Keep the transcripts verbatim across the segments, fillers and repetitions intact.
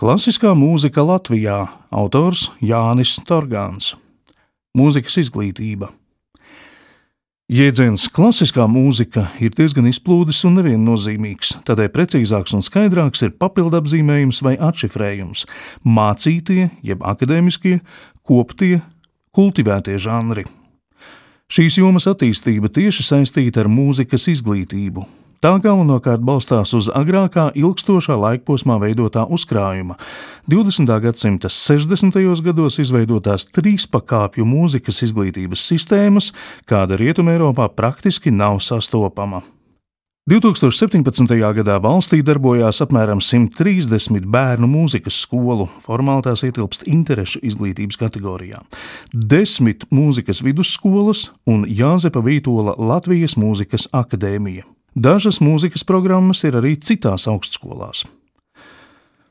Klasiskā mūzika Latvijā. Autors Jānis Torgāns. Mūzikas izglītība. Jēdziens klasiskā mūzika ir diezgan izplūdis un neviennozīmīgs, tādēļ precīzāks un skaidrāks ir papildapzīmējums vai atšifrējums, mācītie, jeb akadēmiskie, koptie, kultivētie žanri. Šīs jomas attīstība tieši saistīta ar mūzikas izglītību. Tā galvenokārt balstās uz agrākā ilgstošā laikposmā veidotā uzkrājuma, divdesmitā gadsimta sešdesmitajos gados izveidotās trīspakāpju mūzikas izglītības sistēmas, kāda Rietumeiropā praktiski nav sastopama. divtūkstoš septiņpadsmitajā gadā valstī darbojās apmēram simt trīsdesmit bērnu mūzikas skolu, formāli tās ietilpst interešu izglītības kategorijā, desmit mūzikas vidusskolas un Jāzepa Vītola Latvijas mūzikas akadēmija. Dažas mūzikas programmas ir arī citās augstskolās.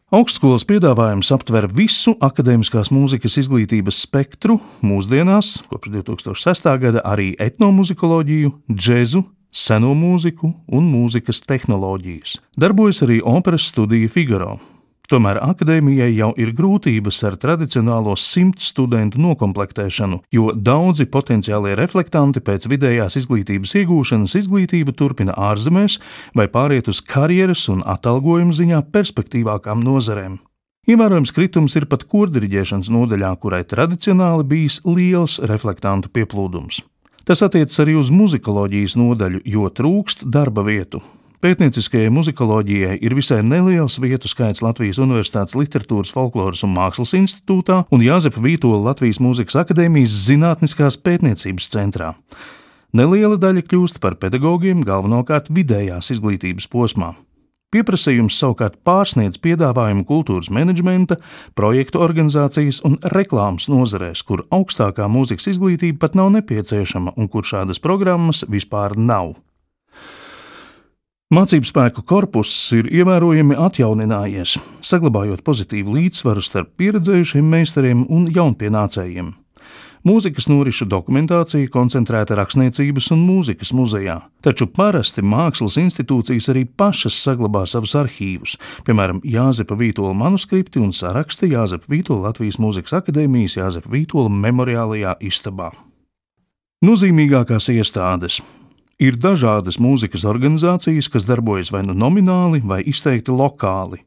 Augstskolas piedāvājums aptver visu akadēmiskās mūzikas izglītības spektru, mūsdienās, kopš divtūkstoš sestā gada arī etnomuzikoloģiju, džezu, seno mūziku un mūzikas tehnoloģijas. Darbojas arī operas studija Figaro. Tomēr akadēmijai jau ir grūtības ar tradicionālo simt studentu nokomplektēšanu, jo daudzi potenciālie reflektanti pēc vidējās izglītības iegūšanas izglītību turpina ārzemēs vai pāriet uz karjeras un atalgojuma ziņā perspektīvākām nozarēm. Ievērojams kritums ir pat kordiriģēšanas nodaļā, kurai tradicionāli bijis liels reflektantu pieplūdums. Tas attiecas arī uz muzikoloģijas nodaļu, jo trūkst darba vietu. Pētnieciskajai muzikoloģijai ir visai neliels vietu skaits Latvijas Universitātes Literatūras, folkloras un mākslas institūtā un Jāzepa Vītola Latvijas Mūzikas akadēmijas zinātniskās pētniecības centrā. Neliela daļa kļūst par pedagogiem galvenokārt vidējās izglītības posmā. Pieprasījums savukārt pārsniedz piedāvājumu kultūras menedžmenta, projektu organizācijas un reklāmas nozarēs, kur augstākā mūzikas izglītība pat nav nepieciešama un kur šādas programmas vispār nav. Mācību spēku korpuss ir ievērojami atjauninājies, saglabājot pozitīvu līdzsvaru starp pieredzējušiem meistariem un jaunpienācējiem. Mūzikas norišu dokumentācija koncentrēta rakstniecības un mūzikas muzejā, taču parasti mākslas institūcijas arī pašas saglabā savus arhīvus, piemēram, Jāzepa Vītola manuskripti un saraksti Jāzepa Vītola Latvijas Mūzikas akadēmijas Jāzepa Vītola memoriālajā istabā. Nozīmīgākās iestādes. Ir dažādas mūzikas organizācijas, kas darbojas vai nu nomināli, vai izteikti lokāli.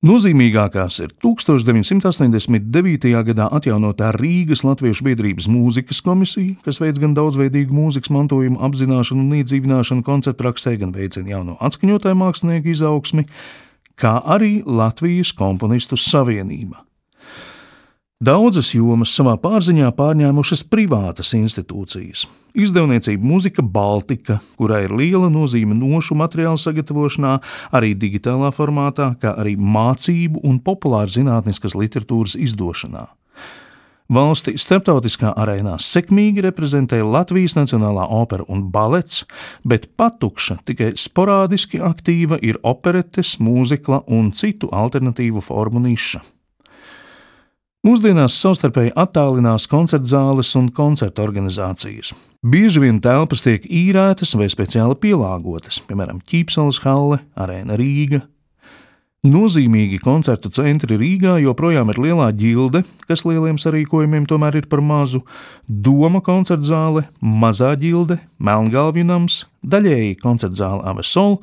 Nozīmīgākās ir tuksstoš deviņsimt astoņdesmit devītajā gadā atjaunotā Rīgas Latviešu biedrības mūzikas komisija, kas veic gan daudzveidīgu mūzikas mantojumu apzināšanu un iedzīvināšanu koncertpraksē, gan veicina jauno atskaņotāju mākslinieku izaugsmi, kā arī Latvijas komponistu savienība. Daudzas jomas savā pārziņā pārņēmušas privātas institūcijas. Izdevniecība Mūzika Baltika, kurai ir liela nozīme nošu materiālu sagatavošanā, arī digitālā formātā, kā arī mācību un populāra zinātniskas literatūras izdošanā. Valsti starptautiskā arēnā sekmīgi reprezentē Latvijas Nacionālā opera un balets, bet patukša, tikai sporādiski aktīva ir operetes, mūzikla un citu alternatīvu formu niša. Mūsdienās savstarpēji attālinās koncertzāles un koncertu organizācijas. Bieži vien telpas tiek īrētas vai speciāli pielāgotas, piemēram, Ķīpsalas halle, Arēna Rīga. Nozīmīgi koncertu centri Rīgā joprojām ir Lielā ģilde, kas lieliem sarīkojumiem tomēr ir par mazu, Doma koncertzāle, Mazā ģilde, Melngalvju nams, daļēji koncertzāle Avesol,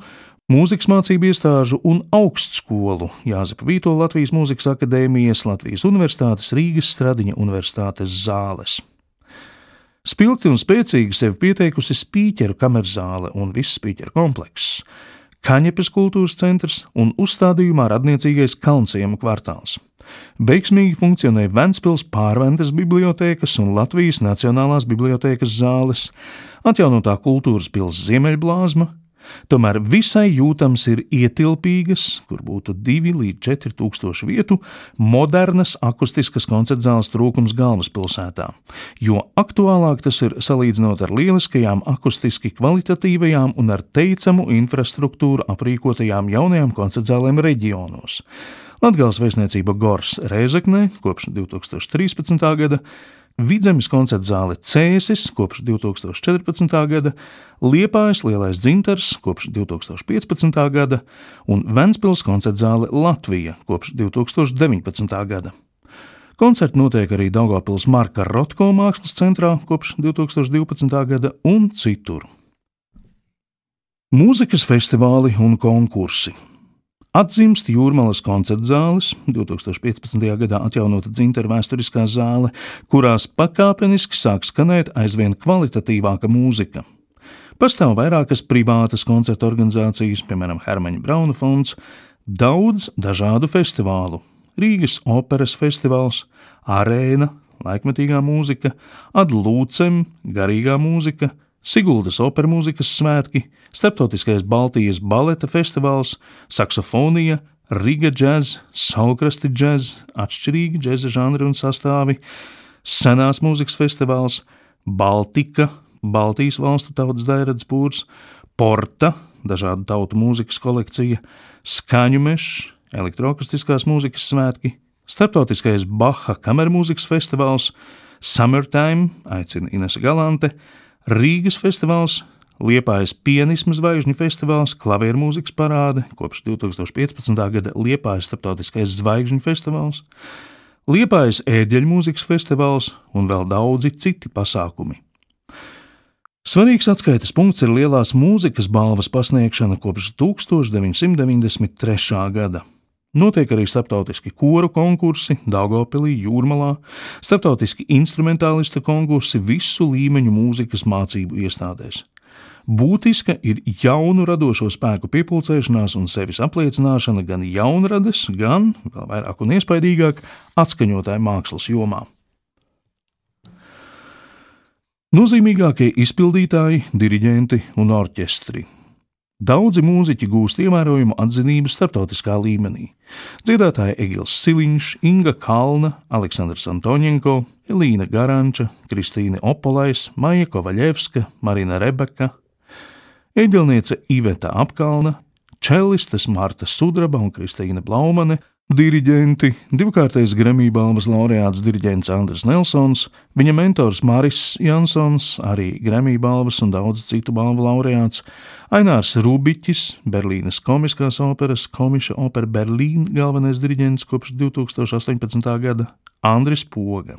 mūzikas mācību iestāžu un augstskolu Jāzepa Vītola Latvijas Mūzikas akadēmijas, Latvijas Universitātes, Rīgas Stradiņa Universitātes zāles. Spilgti un spēcīgi sevi pieteikusi Spīķeru kamerzāle un viss Spīķeru komplekss, Kaņepes kultūras centrs un uzstādījumā radniecīgais Kalnciema kvartāls. Veiksmīgi funkcionē Ventspils Pārventas bibliotēkas un Latvijas Nacionālās bibliotēkas zāles, atjaunotā kultūras pils Ziemeļblāzma. Tomēr visai jūtams ir ietilpīgas, kur būtu divi līdz četri tūkstoši vietu, modernas akustiskas koncertzāles trūkums galvaspilsētā, jo aktuālāk tas ir salīdzinot ar lieliskajām akustiski kvalitatīvajām un ar teicamu infrastruktūru aprīkotajām jaunajām koncertzālēm reģionos. Latgales vēstniecība Gors Rēzeknē kopš divtūkstoš trīspadsmitā gada, Vidzemes koncerta zāle Cēsis kopš divi tūkstoši četrpadsmitā gada, Liepājas Lielais dzintars kopš divi tūkstoši piecpadsmitā gada un Ventspils koncerta zāle Latvija kopš divi tūkstoši deviņpadsmitā gada. Koncerti notiek arī Daugavpils Marka Rotko mākslas centrā kopš divi tūkstoši divpadsmitā gada un citur. Mūzikas festivāli un konkursi. Atzimst Jūrmalas koncerta zāles, divi tūkstoši piecpadsmitajā gadā atjaunota dzintara vēsturiskā zāle, kurās pakāpeniski sāk skanēt aizvien kvalitatīvāka mūzika. Pastāv vairākas privātas koncerta organizācijas, piemēram, Hermaņa Brauna fonds, daudz dažādu festivālu. Rīgas operas festivāls, Arēna, laikmetīgā mūzika, Ad Lūcem, garīgā mūzika, Siguldas opermūzikas svētki, Starptautiskais Baltijas baleta festivāls, saksofonija, Riga džez, saulkrasti džez, atšķirīgi džeza žanri un sastāvi, senās mūzikas festivāls, Baltika, Baltijas valstu tautas dairades pūrs, Porta, dažādu tautu mūzikas kolekcija, Skaņu mešs, elektroakustiskās mūzikas svētki, Starptautiskais Baha kamermūzikas festivāls, Summertime, aicina Inese Galante, Rīgas festivāls, Liepājas pianisma zvaigžņu festivāls, klavieru mūzikas parāde, kopš divi tūkstoši piecpadsmitā gada Liepājas starptautiskais zvaigžņu festivāls, Liepājas ēģeļu mūzikas festivāls un vēl daudzi citi pasākumi. Svarīgs atskaites punkts ir lielās mūzikas balvas pasniegšana kopš tūkstoš deviņsimt deviņdesmit trešā gada. Notiek arī starptautiski koru konkursi Daugavpilī, Jūrmalā, starptautiski instrumentālistu konkursi visu līmeņu mūzikas mācību iestādēs. Būtiska ir jaunu radošo spēku piepulcēšanās un sevis apliecināšana gan jaunrades, gan, vēl vairāk un iespaidīgāk, atskaņotāju mākslas jomā. Nozīmīgākie izpildītāji, diriģenti un orķestri. Daudzi mūziķi gūst ievērojumu atzinību starptautiskā līmenī. Dziedātāji Egils Siliņš, Inga Kalna, Aleksandrs Antoņenko, Elīna Garanča, Kristīne Opolais, Maija Kovaļevska, Marina Rebeka, eģelniece Iveta Apkalna, čellistes Marta Sudraba un Kristīna Blaumane, diriģenti, divkārtais Grammy balvas laureāts diriģents Andris Nelsons, viņa mentors Maris Jansons, arī Grammy balvas un daudz citu balvu laureāts, Ainārs Rubiķis, Berlīnes komiskās operas Komische Oper Berlīn galvenais diriģents kopš divi tūkstoši astoņpadsmitā gada, Andris Poga,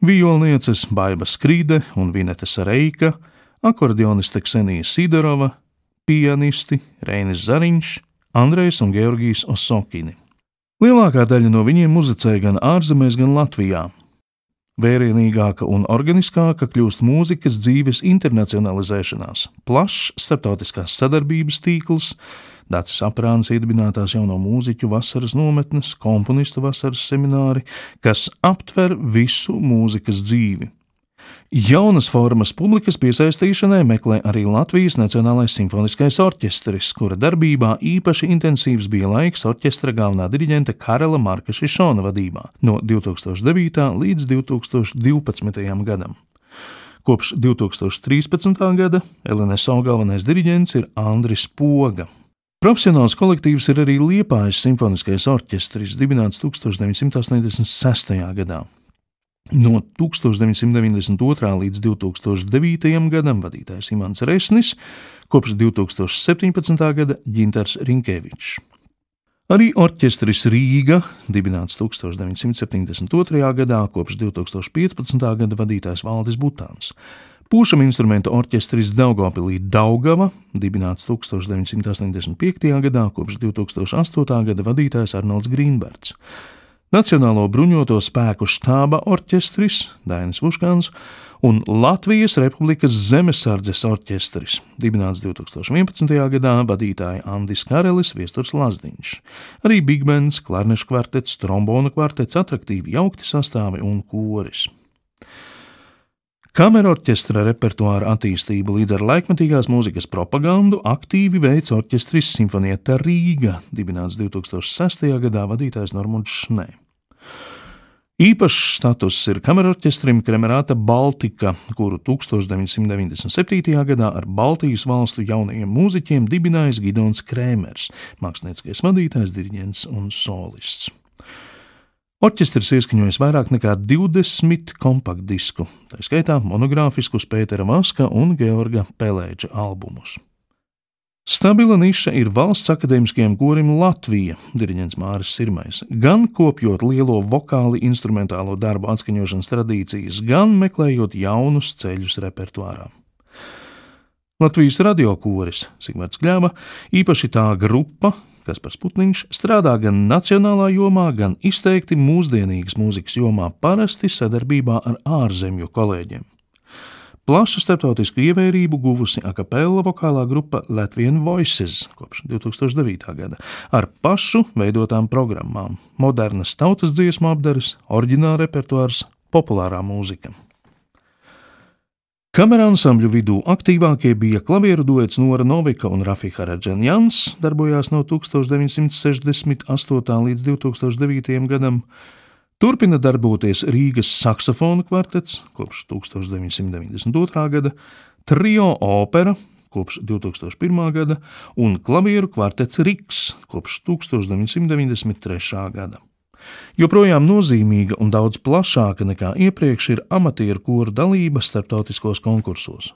violnieces Baiba Skrīde un Vineta Sareika, akordioniste Ksenija Sidorova, pianisti Reinis Zariņš, Andrejs un Georgijs Osokini. Lielākā daļa no viņiem muzicēja gan ārzemēs, gan Latvijā. Vērienīgāka un organiskāka kļūst mūzikas dzīves internacionalizēšanās, plašs starptautiskās sadarbības tīkls, Dācis Aprāns iedibinātās jauno mūziķu vasaras nometnes, komponistu vasaras semināri, kas aptver visu mūzikas dzīvi. Jaunas formas publikas piesaistīšanai meklē arī Latvijas Nacionālais simfoniskais orķestris, kura darbībā īpaši intensīvs bija laiks orķestra galvenā diriģenta Karela Marka Šišona vadībā no divi tūkstoši devītā līdz divi tūkstoši divpadsmitajam gadam. Kopš divi tūkstoši trīspadsmitā gada L N S O galvenais diriģents ir Andris Poga. Profesionāls kolektīvs ir arī Liepājas simfoniskais orķestris, dibināts tūkstoš deviņsimt astoņdesmit sestajā gadā. No tūkstoš deviņsimt deviņdesmit otrā līdz divi tūkstoši devītajam gadam vadītājs Imants Resnis, kopš divi tūkstoši septiņpadsmitā gada Ģintars Rinkevičs. Arī orķestris Rīga, dibināts tūkstoš deviņsimt septiņdesmit otrajā gadā, kopš divi tūkstoši piecpadsmitā gada vadītājs Valdis Butāns. Pūšam instrumentu orķestris Daugavpilī Daugava, dibināts tūkstoš deviņsimt astoņdesmit piektajā gadā, kopš divi tūkstoši astotā gada vadītājs Arnolds Grīnberts. Nacionālo bruņoto spēku štāba orķestris Dainis Vuškāns un Latvijas Republikas zemesardzes orķestris, dibināts divi tūkstoši vienpadsmitajā gadā, vadītāji Andis Karelis, Viesturs Lazdiņš. Arī bigbands, klarnešu kvartets, trombona kvartets, atraktīvi jaukti sastāvi un koris. Kamerorķestra repertuāra attīstību līdz ar laikmetīgās mūzikas propagandu aktīvi veic orķestris Simfonieta Rīga, dibināts divi tūkstoši sestajā gadā, vadītājs Normunds Šnē. Īpašs status ir kamerorķestrim Kremerāta Baltika, kuru tūkstoš deviņsimt deviņdesmit septītajā gadā ar Baltijas valstu jaunajiem mūziķiem dibinājis Gidons Krēmers, mākslinieckais vadītājs, diriģents un solists. Orķestris ieskaņojis vairāk nekā divdesmit kompaktdisku, tā skaitā monogrāfiskus Pētera Vaska un Georga Pelēģa albumus. Stabila niša ir Valsts akadēmiskajam korim Latvija, diriģents Māris Sirmais, gan kopjot lielo vokāli instrumentālo darbu atskaņošanas tradīcijas, gan meklējot jaunus ceļus repertuārā. Latvijas radiokoris Sigvards Kļava, īpaši tā grupa, Kaspars Putniņš, strādā gan nacionālā jomā, gan izteikti mūsdienīgas mūzikas jomā, parasti sadarbībā ar ārzemju kolēģiem. Plašu starptautisku ievērību guvusi akapella vokālā grupa Latvian Voices kopš divi tūkstoši devītā gada ar pašu veidotām programmām, modernas tautas dziesmu apdares, oriģināla repertuārs, populārā mūzika. Kamera ansambļu vidū aktīvākie bija klavieru duets Nora Novika un Rafi Haradžanjans, darbojās no tūkstoš deviņsimt sešdesmit astotā līdz divi tūkstoši devītajam gadam. Turpina darboties Rīgas saksofonu kvartets kopš tūkstoš deviņsimt deviņdesmit otrā gada, trio opera kopš divi tūkstoši pirmā gada un klavieru kvartets Riks kopš tūkstoš deviņsimt deviņdesmit trešā gada. Joprojām nozīmīga un daudz plašāka nekā iepriekš ir amatieru koru dalība starptautiskos konkursos.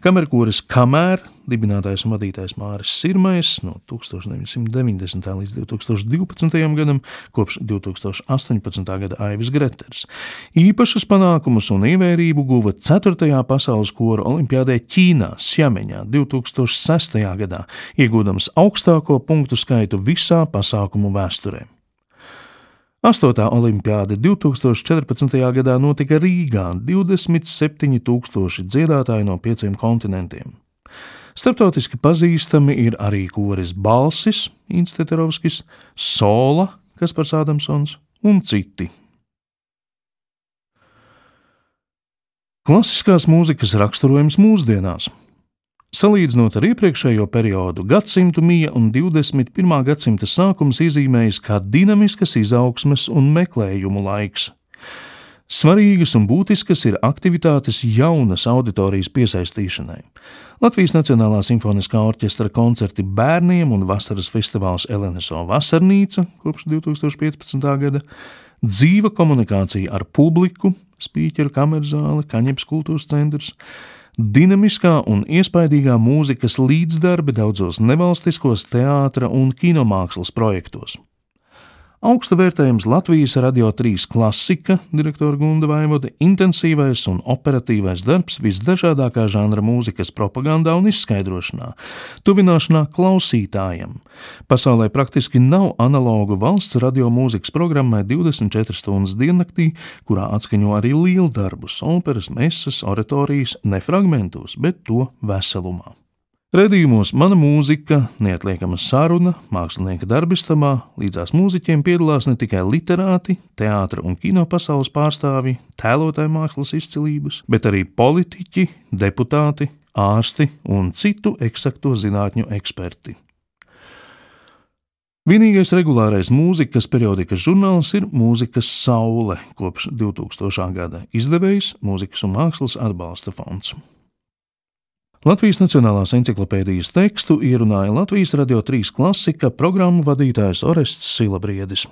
Kamerkoris Kamēr, dibinātājs un vadītājs Māris Sirmais no tūkstoš deviņsimt deviņdesmitā līdz divi tūkstoši divpadsmitajam gadam, kopš divi tūkstoši astoņpadsmitā gada Aivis Greters. Īpašas panākumus un ievērību guva ceturtajā pasaules koru olimpiādē Ķīnā, Sjameņā divi tūkstoši sestajā gadā, iegūdams augstāko punktu skaitu visā pasākumu vēsturē. Astotā olimpiāde divi tūkstoši četrpadsmitajā gadā notika Rīgā, divdesmit septiņi tūkstoši dziedātāji no pieciem kontinentiem. Starptautiski pazīstami ir arī koris Balsis, Inns Teterovskis, Sola, Kaspars Ādamsons un citi. Klasiskās mūzikas raksturojums mūsdienās. Salīdzinot ar iepriekšējo periodu, gadsimtu mija un divdesmit pirmā gadsimta sākums iezīmējas kā dinamiskas izaugsmes un meklējumu laiks. Svarīgas un būtiskas ir aktivitātes jaunas auditorijas piesaistīšanai. Latvijas Nacionālā simfoniskā orķestra koncerti bērniem un vasaras festivāls L N S O Vasarnīca kopš divi tūkstoši piecpadsmitā gada, dzīva komunikācija ar publiku, spīķeru kamerzāle, Kaņepes kultūras centrs, dinamiskā un iespaidīgā mūzikas līdzdarbi daudzos nevalstiskos teātra un kinomākslas projektos. Augsta vērtējums Latvijas Radio trīs klasika, direktora Gunda Vaivode, intensīvais un operatīvais darbs visdažādākā žanra mūzikas propagandā un izskaidrošanā, tuvināšanā klausītājam. Pasaulē praktiski nav analogu valsts radio mūzikas programmai divdesmit četras stundas diennaktī, kurā atskaņo arī lieldarbus, operas, mesas, oratorijas, ne fragmentos, bet to veselumā. Redījumos Mana mūzika, neatliekama saruna, mākslinieka darbistamā, līdzās mūziķiem piedalās ne tikai literāti, teātra un kino pasaules pārstāvji, tēlotāju mākslas izcilības, bet arī politiķi, deputāti, ārsti un citu eksakto zinātņu eksperti. Vienīgais regulārais mūzikas periodikas žurnāls ir Mūzikas saule kopš divtūkstošā gada, izdevējs Mūzikas un mākslas atbalsta fonds. Latvijas Nacionālās enciklopēdijas tekstu ierunāja Latvijas Radio trīs klasika programmu vadītājs Orests Silabriedis.